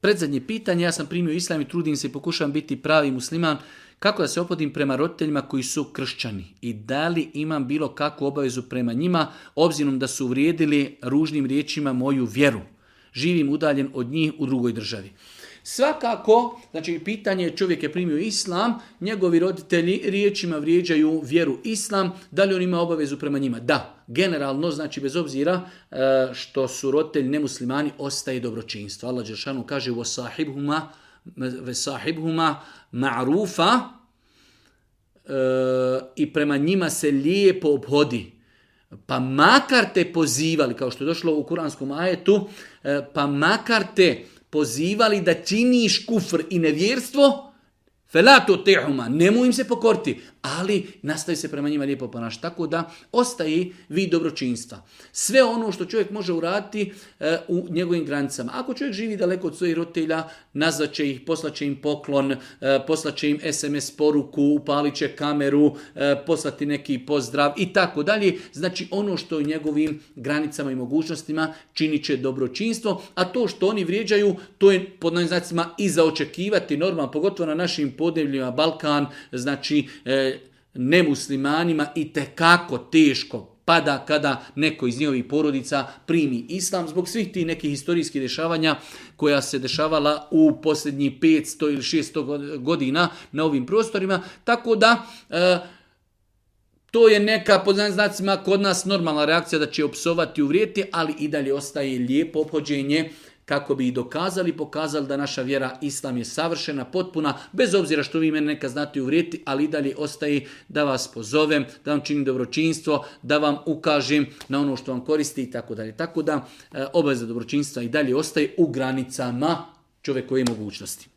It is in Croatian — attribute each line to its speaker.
Speaker 1: Predzadnje pitanje, ja sam primio islam i trudim se i pokušavam biti pravi musliman. Kako da se opodim prema roditeljima koji su kršćani? I da li imam bilo kakvu obavezu prema njima, obzirom da su uvrijedili ružnim riječima moju vjeru? Živim udaljen od njih u drugoj državi. Svakako, znači pitanje je, čovjek je primio islam, njegovi roditelji riječima vrijeđaju vjeru islam, da li on ima obavezu prema njima? Da, generalno, znači bez obzira što su roditelji nemuslimani, ostaje dobročinstvo. Allah dželešanu kaže وَسَاحِبْهُمَا مَعْرُوفًا i prema njima se lijepo ophodi. Pa makar te pozivali, kao što je došlo u kuranskom ajetu, pa makar te pozivali da činiš kufr i nevjerstvo, فَلَا تُطِعْهُمَا, nemoj im se pokoriti, ali nastavi se prema njima lijepo ponašati. Tako da ostaje vid dobročinstva. Sve ono što čovjek može uraditi u njegovim granicama. Ako čovjek živi daleko od svojih roditelja, nazvat će ih, poslaće im poklon, poslaće im SMS poruku, upalit će kameru, poslati neki pozdrav i tako dalje. Znači ono što je u njegovim granicama i mogućnostima činit će dobročinstvo, a to što oni vrijeđaju, to je pod novim znacima i za očekivati normalno, pogotovo na našim podnebljima Balkan, znači nemuslimanima i tekako teško pada kada neko iz njihovih porodica primi islam zbog svih tih nekih historijskih dešavanja koja se dešavala u posljednjih 500 ili 600 godina na ovim prostorima. Tako da to je neka, pod znacima, kod nas normalna reakcija da će opsovati, uvrijeti, ali i dalje ostaje lijepo ophođenje kako bi i pokazali da naša vjera islam je savršena, potpuna, bez obzira što vi mene neka znate uvrijeti, ali i dalje ostaje da vas pozovem, da vam činim dobročinstvo, da vam ukažem na ono što vam koristi i tako dalje. Tako da obaveza dobročinstva i dalje ostaje u granicama čovjekove mogućnosti.